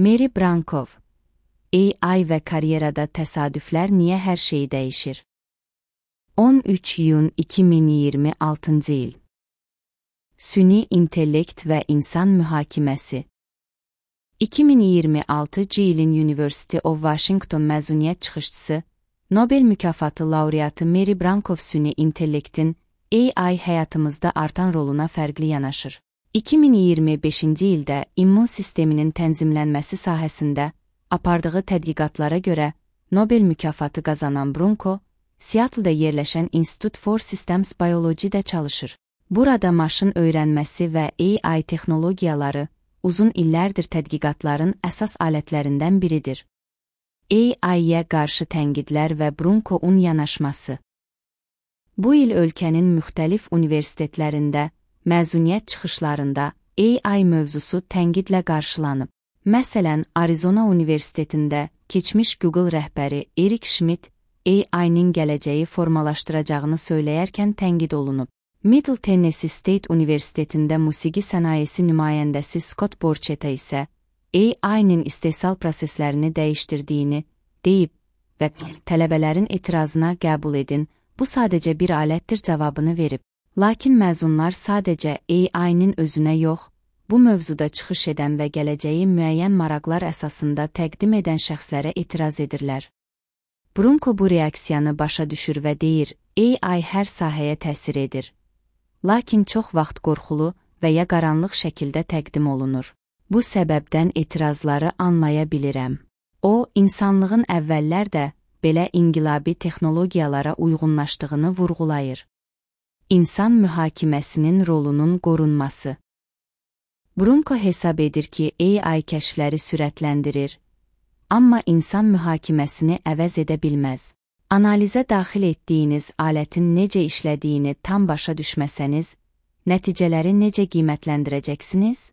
Mary Brankov, AI və karyerada təsadüflər niyə hər şeyi dəyişir? 13 iyun 2026 il. Süni intellekt və insan mühakiməsi. 2026 ilin University of Washington məzuniyyət çıxışçısı, Nobel mükafatı laureatı Mary Brankov süni intellektin AI həyatımızda artan roluna fərqli yanaşır. 2025-ci ildə immun sisteminin tənzimlənməsi sahəsində apardığı tədqiqatlara görə Nobel mükafatı qazanan Brunko, Seattle-da yerləşən Institute for Systems Biology-də çalışır. Burada maşın öyrənməsi və AI texnologiyaları uzun illərdir tədqiqatların əsas alətlərindən biridir. AI-yə qarşı tənqidlər və Brunko'un yanaşması. Bu il ölkənin müxtəlif universitetlərində, məzuniyyət çıxışlarında AI mövzusu tənqidlə qarşılanıb. Məsələn, Arizona Universitetində keçmiş Google rəhbəri Eric Schmidt AI-nin gələcəyi formalaşdıracağını söyləyərkən tənqid olunub. Middle Tennessee State Universitetində musiqi sənayesi nümayəndəsi Scott Borchetta isə AI-nin istehsal proseslərini dəyişdirdiyini deyib və tələbələrin etirazına qəbul edin, bu sadəcə bir alətdir cavabını verib. Lakin məzunlar sadəcə AI-nin özünə yox, bu mövzuda çıxış edən və gələcəyi müəyyən maraqlar əsasında təqdim edən şəxslərə etiraz edirlər. Brunko bu reaksiyanı başa düşür və deyir, AI hər sahəyə təsir edir. Lakin çox vaxt qorxulu və ya qaranlıq şəkildə təqdim olunur. Bu səbəbdən etirazları anlaya bilirəm. O, insanlığın əvvəllər də belə inqilabi texnologiyalara uyğunlaşdığını vurğulayır. İnsan mühakiməsinin rolunun qorunması. Brunko hesab edir ki, AI kəşfləri sürətləndirir, amma insan mühakiməsini əvəz edə bilməz. Analizə daxil etdiyiniz alətin necə işlədiyini tam başa düşməsəniz, nəticələri necə qiymətləndirəcəksiniz?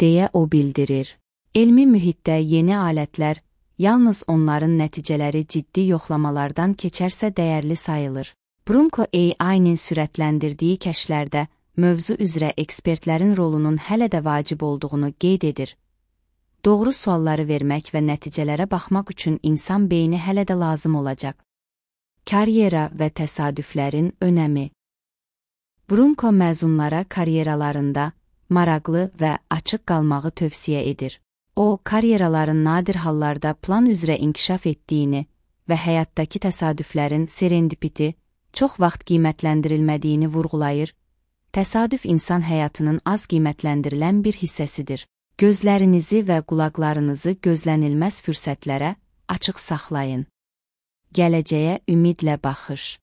Deyə o bildirir. Elmi mühitdə yeni alətlər yalnız onların nəticələri ciddi yoxlamalardan keçərsə dəyərli sayılır. Brunko AI-nin sürətləndirdiyi kəşflərdə mövzu üzrə ekspertlərin rolunun hələ də vacib olduğunu qeyd edir. Doğru sualları vermək və nəticələrə baxmaq üçün insan beyni hələ də lazım olacaq. Karyera və təsadüflərin önəmi. Brunko məzunlara karyeralarında maraqlı və açıq qalmağı tövsiyə edir. O, karyeraların nadir hallarda plan üzrə inkişaf etdiyini və həyatdakı təsadüflərin serendipiti, çox vaxt qiymətləndirilmədiyini vurğulayır. Təsadüf insan həyatının az qiymətləndirilən bir hissəsidir. Gözlərinizi və qulaqlarınızı gözlənilməz fürsətlərə açıq saxlayın. Gələcəyə ümidlə baxış.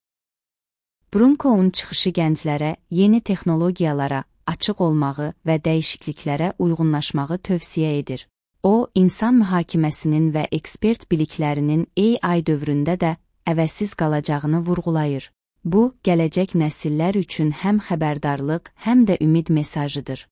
Brunko'un çıxışı gənclərə yeni texnologiyalara açıq olmağı və dəyişikliklərə uyğunlaşmağı tövsiyə edir. O, insan mühakiməsinin və ekspert biliklərinin AI dövründə də əvəzsiz qalacağını vurğulayır. Bu, gələcək nəsillər üçün həm xəbərdarlıq, həm də ümid mesajıdır.